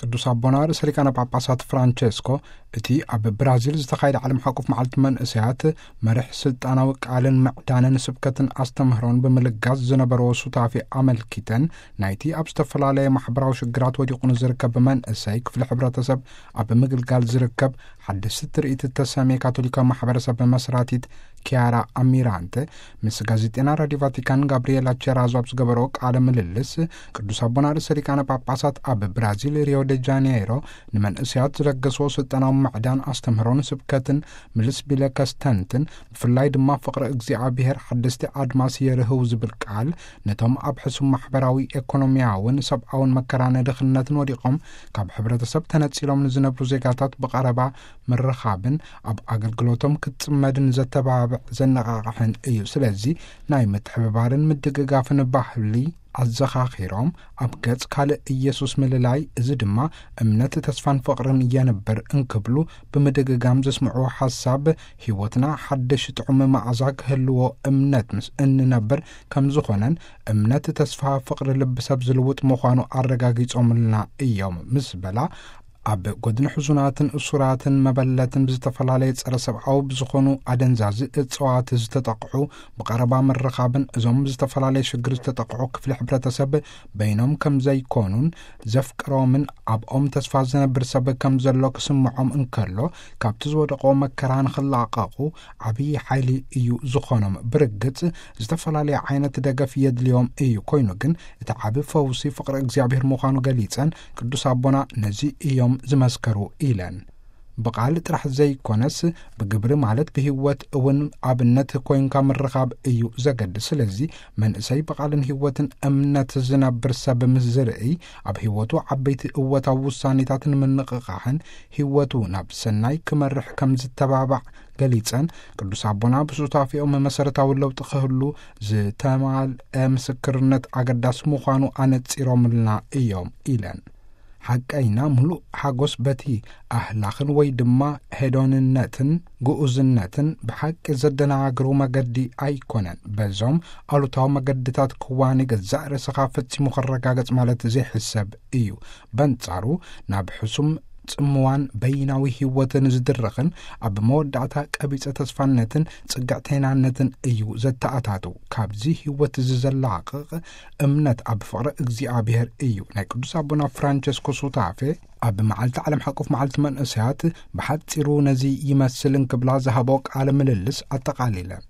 ቅዱስ ኣቦና ርእሰ ሊቃነ ጳጳሳት ፍራንቸስኮ፣ እቲ ኣብ ብራዚል ዝተኻየደ ዓለም ሓቆፍ መዓልቲ መንእሰያት መርሕ ስልጣናዊ ቃልን ምዕዳንን ስብከትን ኣስተምህሮን ብምልጋስ ዝነበረዎ ሱታፌ ኣመልኪተን፣ ናይቲ ኣብ ዝተፈላለየ ማሕበራዊ ሽግራት ወዲቑ ንዝርከብ መንእሰይ ክፍሊ ሕብረተሰብ ኣብ ምግልጋል ዝርከብ ሓደስቲ ትርኢት እተሰምየ ካቶሊካዊ ማሕበረሰብ መስራቲት ኪያራ ኣሚራንተ ምስ ጋዜጤና ራዲዮ ቫቲካን ጋብሪኤላ ቸራዞ ኣብ ዝገበረኦ ቃለ ምልልስ፣ ቅዱስ ኣቦና ርእሰ ሊቃነ ጳጳሳት ኣብ ብራዚል ሪዮ ደ ጃኔይሮ ንመንእሰያት ዝለገስዎ ስልጠናዊ ምዕዳን ኣስተምህሮን ስብከትን ምልስ ቢለ ከስተንትን፣ ብፍላይ ድማ ፍቕሪ እግዚኣብሔር ሓደስቲ ኣድማስ የርህው ዝብል ቃል፣ ነቶም ኣብ ሕሱም ማሕበራዊ፣ ኤኮኖሚያውን ሰብኣውን መከራን ድኽነትን ወዲቖም ካብ ሕብረተሰብ ተነጺሎም ንዝነብሩ ዜጋታት ብቐረባ ምርኻብን ኣብ ኣገልግሎቶም ክትጽመድን ዘተባብዕ ዘነቓቕሕን እዩ። ስለዚ ናይ ምትሕብባርን ምድግጋፍን ባህሊ ኣዘኻኺሮም፣ ኣብ ገጽ ካልእ ኢየሱስ ምልላይ፣ እዚ ድማ እምነት፣ ተስፋን ፍቕርን የንብር እንክብሉ ብምድግጋም ዘስምዕዎ ሓሳብ፣ ህይወትና ሓድሽ ጥዑም መኣዛ ክህልዎ እምነት ምስ እንነብር ከም ዝኾነን፣ እምነት፣ ተስፋ፣ ፍቕሪ ልቢ ሰብ ዝልውጥ ምዃኑ ኣረጋጊጾምልና እዮም ምስ በላ፣ ኣብ ጎድኒ ሕዙናትን እሱራትን መበለትን ብዝተፈላለየ ጸረ ሰብኣዊ ብዝኾኑ ኣደንዛዚ እጽዋት ዝተጠቕዑ ብቐረባ ምርኻብን፣ እዞም ብዝተፈላለየ ሽግር ዝተጠቕዑ ክፍሊ ሕብረተሰብ በይኖም ከም ዘይኮኑን ዘፍቅሮምን ኣብኦም ተስፋ ዝነብር ሰብ ከም ዘሎ ክስምዖም እንከሎ፣ ካብቲ ዝወደቆ መከራ ንኽላቐቑ ዓብዪ ሓይሊ እዩ ዝኾኖም። ብርግጽ ዝተፈላለየ ዓይነት ደገፍ የድልዮም እዩ። ኮይኑ ግን እቲ ዓቢ ፈውሲ ፍቕሪ እግዚኣብሔር ምዃኑ ገሊጸን፣ ቅዱስ ኣቦና ነዚ እዮም ዝመስከሩ ኢለን። ብቓል ጥራሕ ዘይኮነስ ብግብሪ፣ ማለት ብህይወት እውን ኣብነት ኮይንካ ምርኻብ እዩ ዘገድስ። ስለዚ መንእሰይ ብቓልን ህይወትን እምነት ዝነብር ሰብ ምስ ዝርእይ፣ ኣብ ህይወቱ ዓበይቲ እወታዊ ውሳኔታት ንምንቕቓሕን ህይወቱ ናብ ሰናይ ክመርሕ ከም ዝተባባዕ ገሊጸን፣ ቅዱስ ኣቦና ብሱታፌኦም መሰረታዊ ለውጢ ክህሉ ዝተማልአ ምስክርነት ኣገዳሲ ምዃኑ ኣነጺሮምልና እዮም ኢለን። ሓቀይና ምሉእ ሓጎስ በቲ ኣህላኽን ወይ ድማ ሄዶንነትን ግኡዝነትን ብሓቂ ዘደናግሩ መገዲ ኣይኮነን። በዞም ኣሉታዊ መገድታት ክዋኒ ገዛእ ርእስኻ ፈጺሙ ክረጋገጽ ማለት ዘይሕሰብ እዩ። በንጻሩ፣ ናብ ሕሱም ጽምዋን በይናዊ ህይወትን ዝድርኽን ኣብ መወዳእታ ቀቢጸ ተስፋነትን ጽግዕተይናነትን እዩ ዘተኣታቱ። ካብዚ ህይወት እዚ ዘላቕቕ እምነት ኣብ ፍቕሪ እግዚኣብሔር እዩ። ናይ ቅዱስ ኣቦና ፍራንቸስኮ ሱታፌ ኣብ መዓልቲ ዓለም ሓቆፍ መዓልቲ መንእሰያት ብሓጺሩ ነዚ ይመስል እንክብላ ዝሃቦ ቃለ ምልልስ ኣጠቓሊለን።